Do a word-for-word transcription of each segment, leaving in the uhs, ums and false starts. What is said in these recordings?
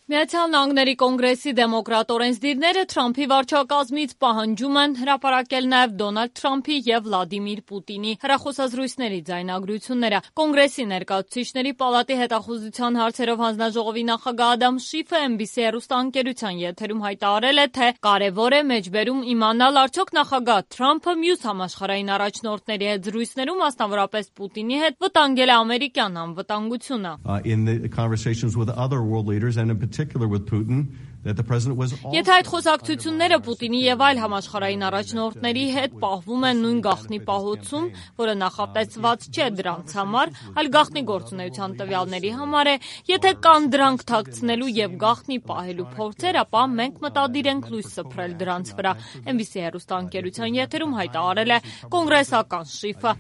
Միացյալ Նահանգների կոնգրեսի դեմոկրատ օրենսդիրները Թրամփի վարչակազմից պահանջում են հրապարակել նաև Դոնալդ Թրամփի և Վլադիմիր Պուտինի հեռախոսազրույցների ձայնագրությունները։ Կոնգրեսի ներկայացուցիչների պալատի հետախուզության հարցերով հանձնաժողովի նախագահ Ադամ Շիֆը Էն Բի Սի հեռուստաընկերության եթերում հայտարարել է, թե կարևոր է մեջբերում իմանալ, արդյոք նախագահ Թրամփը մյուս համաշխարհային առաջնորդների հետ զրույցներում, մասնավորապես Պուտինի հետ, վտանգել է ամերիկյան անվտանգությունը։ Եթե այդ խոսակցությունները Պուտինի և այլ համաշխարհային առաջնորդների հետ պահվում են նույն գաղտնի պահոցում, որը նախատեսված չէ դրանց համար, այլ գաղտնի գործունեության տվյալների համար է, եթե կան դրանք թաքցնելու և գաղտնի պահելու փորձեր, ապա մենք մտադիր ենք լույս սփռել դրանց վրա, Էն Բի Սի հեռուստաընկերության եթերում հայտարարել է կոնգրեսական Շիֆը։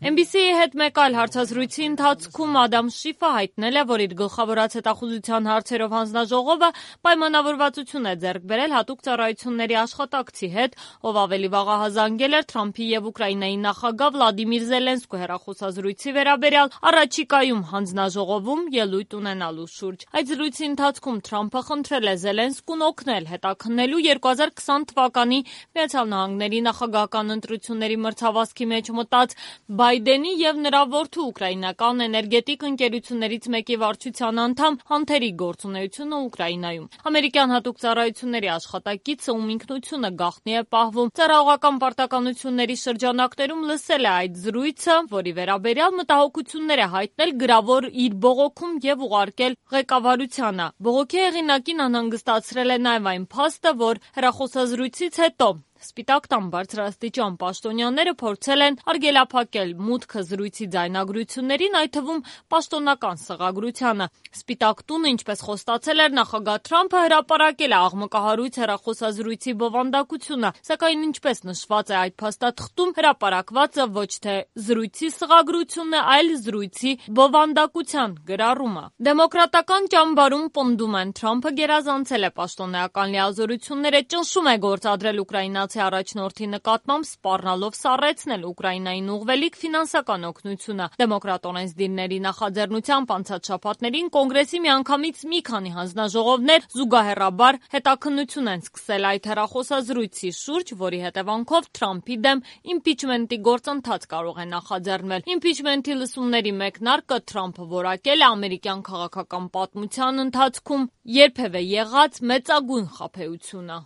Էն Բի Սի-ի հետ մեկ այլ հարցազրույցի ընթացքում Ադամ Շիֆը հայտնել է, որ իր գլխավորած հետախուզության հարցերով հանձնաժողովը պայմանավորվածություն է ձեռք բերել հատուկ ծառայությունների աշխատակցի հետ, ով ավելի վաղ ահազանգել էր Թրամփի և Ուկրաինայի նախագահ Վլադիմիր Զելենսկու հեռախոսազրույցի վերաբերյալ առաջիկայում հանձնաժողովում ելույթ ունենալու շուրջ։ Այդ զրույցի ընթացքում Թրամփը խնդրել է Զելենսկուն օգնել հետաքննելու երկու հազար քսան թվականի Միացյալ Նահանգների նախագահական ընտրությունների մրցավազքի մեջ մտած Բայդենի և նրա որդու ուկրաինական էներգետիկ ընկերություններից մեկի վարչության անդամ Հանթերի գործունեությունը Ուկրաինայում։ Ամերիկյան հատուկ ծառայությունների աշխատակիցը, ում ինքնությունը գաղտնի է պահվում, ծառայողական պարտականությունների շրջանակներում լսել է այդ զրույցը, որի վերաբերյալ մտահոգություններ է հայտնել գրավոր իր բողոքում և ուղարկել ղեկավարությանը։ Բողոքի հեղինակին անհանգստացրել է նաև այն փաստը, որ հեռախոսազրույցից հետո Սպիտակ տան բարձրաստիճան պաշտոնյաները փորձել են արգելափակել մուտքը զրույցի ձայնագրություններին, այդ թվում պաշտոնական սղագրությանը։ Սպիտակ տունը, ինչպես խոստացել էր նախագահ Թրամփը, հրապարակել է աղմկահարույց հեռախոսազրույցի բովանդակությունը, սակայն ինչպես նշված է այդ փաստաթղթում, հրապարակվածը ոչ թե զրույցի սղագրությունն է, այլ զրույցի բովանդակության գրառումը։ Դեմոկրատական ճամբարում պնդում են, Թրամփը գերազանցել է պաշտոնեական լիազորությունները, ճնշում է գործադրել ուկրաինացի առաջնորդի նկատմամբ, սպառնալով սառեցնել Ուկրաինային ուղղվելիք ֆինանսական օգնությունը։ Դեմոկրատ օրենսդիրների նախաձեռնությամբ անցած շաբաթներին Կոնգրեսի միանգամից մի քանի հանձնաժողովներ զուգահեռաբար հետաքննություն են սկսել այդ հեռախոսազրույցի շուրջ, որի հետևանքով Թրամփի դեմ իմպիչմենտի գործընթաց կարող է նախաձեռնվել։ Իմպիչմենտի լսումների մեկնարկը Թրամփը որակել է ամերիկյան քաղաքական պատմության ընթացքում երբևէ եղած մեծագույն խաբեությունը։